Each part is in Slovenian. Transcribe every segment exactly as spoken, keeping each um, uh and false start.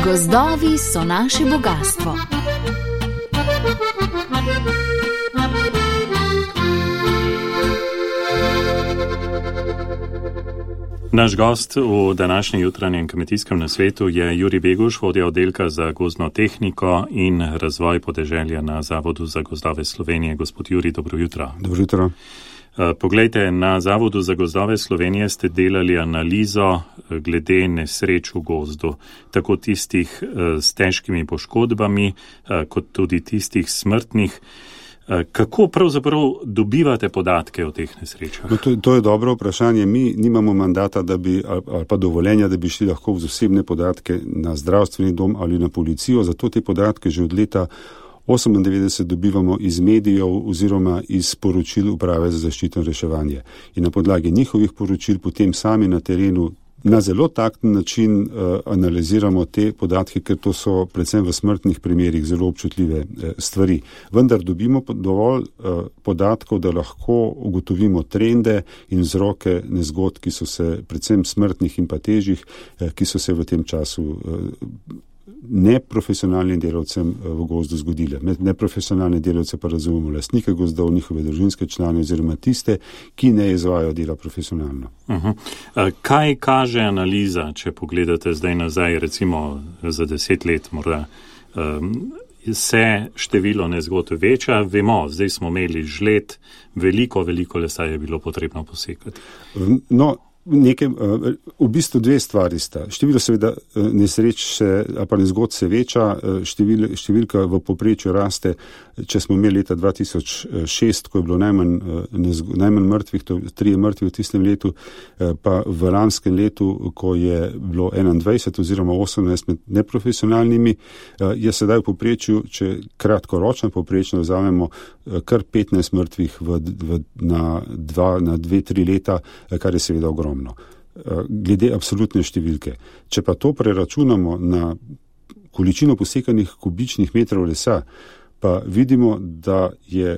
Gozdovi so naše bogastvo. Naš gost v današnjem jutranjem kmetijskem nasvetu je Jurij Beguš, vodja oddelka za gozdno tehniko in razvoj podeželja na Zavodu za gozdove Slovenije. Gospod Jurij, dobro jutro. Dobro jutro. Poglejte, na Zavodu za gozdove Slovenije ste delali analizo glede nesreč v gozdu, tako tistih s težkimi poškodbami, kot tudi tistih smrtnih. Kako pravzaprav dobivate podatke o teh nesrečah? No, to, to je dobro vprašanje. Mi nimamo mandata, da bi, ali pa dovoljenja, da bi šli lahko v osebne podatke na zdravstveni dom ali na policijo. Zato te podatke že od leta osemindevetdeset dobivamo iz medijev oziroma iz poročil Uprave za zaščito in reševanje. In na podlagi njihovih poročil potem sami na terenu na zelo takten način uh, analiziramo te podatke, ker to so predvsem v smrtnih primerih zelo občutljive uh, stvari. Vendar dobimo dovolj uh, podatkov, da lahko ugotovimo trende in vzroke nezgod, ki so se predvsem smrtnih in pa težjih, uh, ki so se v tem času uh, neprofesionalnim delavcem v gozdu zgodile. Med neprofesionalne delavce pa razumemo lastnike gozdov, njihove družinske člane oziroma tiste, ki ne izvajajo dela profesionalno. Uh-huh. Kaj kaže analiza, če pogledate zdaj nazaj, recimo za deset let morda, um, se število nezgod veča? Vemo, zdaj smo imeli žled, veliko, veliko lesa je bilo potrebno posekati. No, Nekaj, v bistvu dve stvari sta. Število seveda nesreč se, ali pa nezgod se veča, števil, številka v povprečju raste. Če smo imeli leta dva tisoč šest, ko je bilo najmanj, nezgo, najmanj mrtvih, to trije mrtvi v tistem letu, pa v lanskem letu, ko je bilo enaindvajset oziroma osemnajst med neprofesionalnimi, je sedaj v povprečju, če kratkoročno povprečno vzamemo, kar petnajst mrtvih v, v, na, dva, na dve, tri leta, kar je seveda ogromno. Glede absolutne številke. Če pa to preračunamo na količino posekanih kubičnih metrov lesa, pa vidimo, da je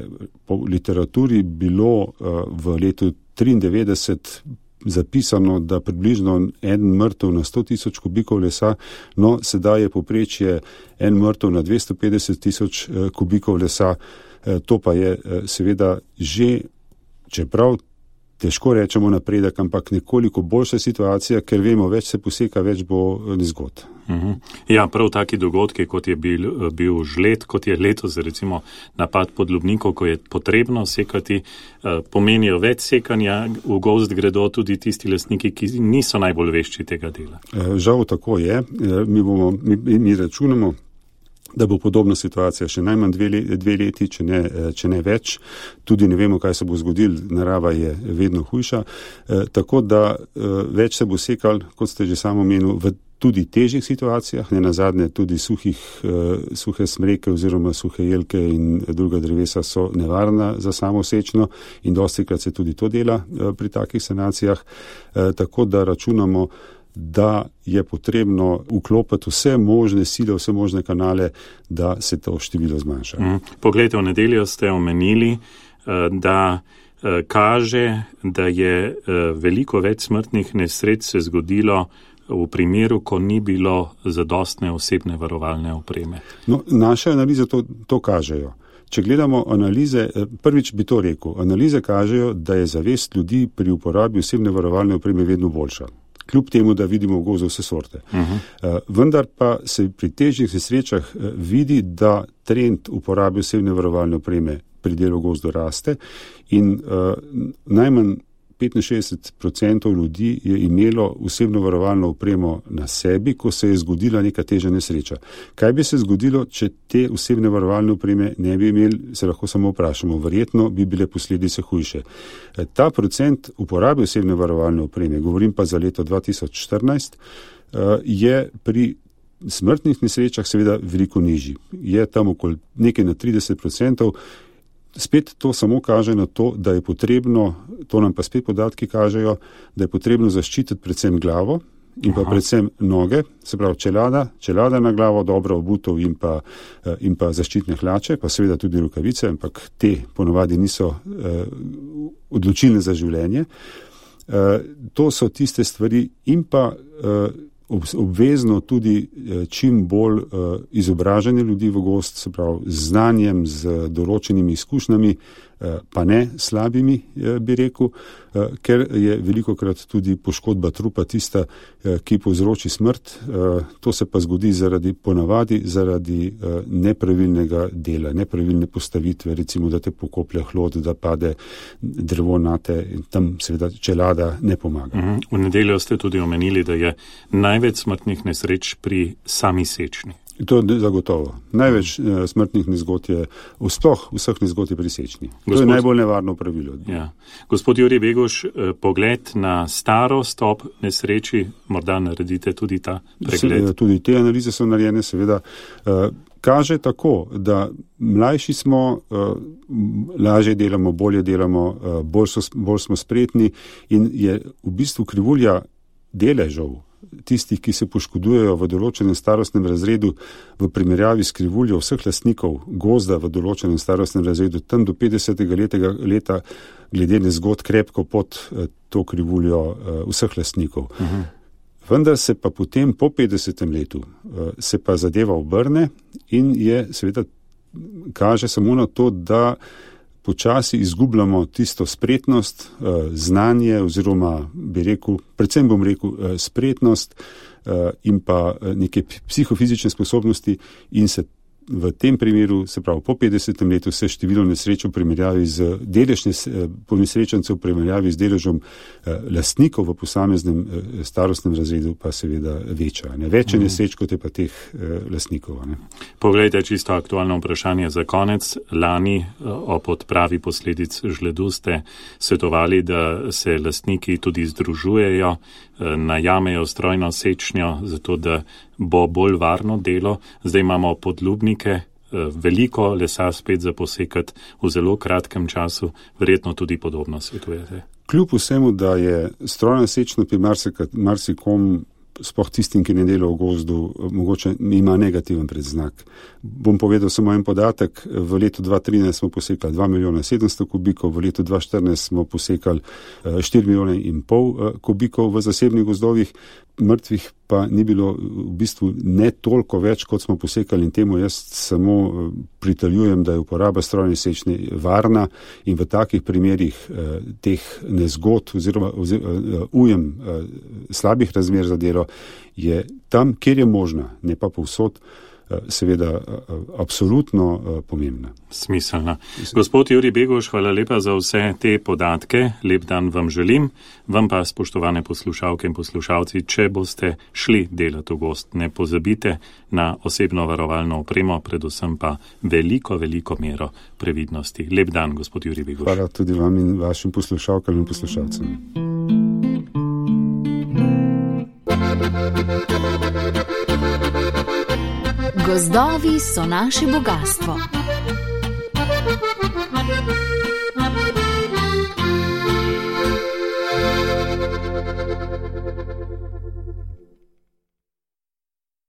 po literaturi bilo v letu triindevetdeset zapisano, da približno en mrtev na sto tisoč kubikov lesa, no sedaj je povprečje en mrtev na dvesto petdeset tisoč kubikov lesa. To pa je seveda že, čeprav težko rečemo napredek, ampak nekoliko boljša situacija, ker vemo, več se poseka, več bo nezgod. Uh-huh. Ja, prav taki dogodki, kot je bil, bil žled, kot je letos recimo napad podlubnikov, ko je potrebno sekati, pomenijo več sekanja, v gozd gredo tudi tisti lastniki, ki niso najbolj vešči tega dela. Žal tako je. Mi, bomo, mi, mi računamo, da bo podobna situacija še najmanj dve, dve leti, če ne, če ne več. Tudi ne vemo, kaj se bo zgodilo, narava je vedno hujša. E, tako da e, več se bo sekal, kot ste že samo omenili, v tudi težjih situacijah, ne nazadnje tudi suhih, e, suhe smreke oziroma suhe jelke in druga drevesa so nevarna za samo sečno in dostikrat se tudi to dela e, pri takih sanacijah. E, tako da računamo, da je potrebno vklopiti vse možne sile, vse možne kanale, da se to število zmanjša. Mm. Poglejte, v nedeljo ste omenili, da kaže, da je veliko več smrtnih nesreč se zgodilo v primeru, ko ni bilo zadostne osebne varovalne opreme. No, naše analize to, to kažejo. Če gledamo analize, prvič bi to rekel, analize kažejo, da je zavest ljudi pri uporabi osebne varovalne opreme vedno boljša. Kljub temu, da vidimo v gozdu vse sorte. Uh-huh. Uh, vendar pa se pri težjih nesrečah uh, vidi, da trend uporabe osebne varovalne opreme pri delu v gozdu raste in uh, najmanj petinšestdeset procentov ljudi je imelo osebno varovalno opremo na sebi, ko se je zgodila neka težja nesreča. Kaj bi se zgodilo, če te osebne varovalne opreme ne bi imeli, se lahko samo vprašamo. Verjetno bi bile posledice hujše. Ta procent uporabe osebne varovalne opreme, govorim pa za leto dva tisoč štirinajst, je pri smrtnih nesrečah seveda veliko nižji. Je tam okoli nekaj na trideset procentov. Spet to samo kaže na to, da je potrebno, to nam pa spet podatki kažejo, da je potrebno zaščititi predvsem glavo in pa predvsem noge, se pravi čelada, čelada na glavo, dobro obutev in pa, in pa zaščitne hlače, pa seveda tudi rokavice, ampak te ponovadi niso eh, odločilne za življenje. To so tiste stvari in pa obvezno tudi čim bolj izobražanje ljudi v gozd, se pravi z znanjem, z določenimi izkušnjami, pa ne slabimi, bi rekel, ker je velikokrat tudi poškodba trupa tista, ki povzroči smrt. To se pa zgodi zaradi ponavadi, zaradi nepravilnega dela, nepravilne postavitve, recimo, da te pokoplje hlod, da pade drevo nate in tam seveda čelada ne pomaga. V nedeljo ste tudi omenili, da je največ smrtnih nesreč pri sami sečni. To je zagotovo. Največ uh, smrtnih nezgod je, vsploh vseh nezgod je pri sečni. Gospod, to je najbolj nevarno pravilo. Ja. Gospod Jurij Beguš, pogled na starost ob nesreči, morda naredite tudi ta pregled. Se, tudi te analize so narejene, seveda. Uh, kaže tako, da mlajši smo, uh, lažje delamo, bolje delamo, uh, bolj, so, bolj smo spretni in je v bistvu krivulja deležev tistih, ki se poškodujejo v določenem starostnem razredu v primerjavi s krivuljo vseh lastnikov gozda v določenem starostnem razredu, tam do petdesetega leta glede nezgod krepko pod to krivuljo vseh lastnikov. Uh-huh. Vendar se pa potem po petdesetem letu se pa zadeva obrne in je seveda kaže samo na to, da počasi izgubljamo tisto spretnost, znanje oziroma bi rekel, predvsem bom rekel spretnost in pa neke psihofizične sposobnosti in se v tem primeru, se pravi po petdesetem letu, se število nesreč v primerjavi z delež ponesrečencev v primerjavi z deležom lastnikov v posameznem starostnem razredu pa seveda veča. Ne? Več je nesreč, kot je pa teh lastnikov. Ne? Poglejte, čisto aktualno vprašanje za konec. Lani ob odpravi posledic žledu ste svetovali, da se lastniki tudi združujejo, najamejo strojno sečnjo, zato da bo bolj varno delo. Zdaj imamo podlubnike, veliko lesa spet za posekati v zelo kratkem času, verjetno tudi podobno svetujete. Kljub vsemu, da je strojna sečnja pri marsikom, sploh tistim, ki ne dela v gozdu, mogoče ima negativen predznak. Bom povedal samo en podatek. V letu dva tisoč trinajst smo posekali dva milijona sedemsto kubikov, v letu dva tisoč štirinajst smo posekali štiri milijone in pol kubikov v zasebnih gozdovih. Mrtvih pa ni bilo v bistvu ne toliko več, kot smo posekali in temu jaz samo pritaljujem, da je uporaba strojne sečnje varna in v takih primerih eh, teh nezgod oziroma, oziroma ujem eh, slabih razmer za delo je tam, kjer je možna, ne pa povsod, seveda absolutno pomembna. Smiselna. Gospod Jurij Beguš, hvala lepa za vse te podatke. Lep dan vam želim. Vam pa, spoštovane poslušalke in poslušalci, če boste šli delati v gozd, ne pozabite na osebno varovalno opremo, predvsem pa veliko, veliko mero previdnosti. Lep dan, gospod Jurij Beguš. Hvala tudi vam in vašim poslušalkam in poslušalcem. Gozdovi so naše bogatstvo.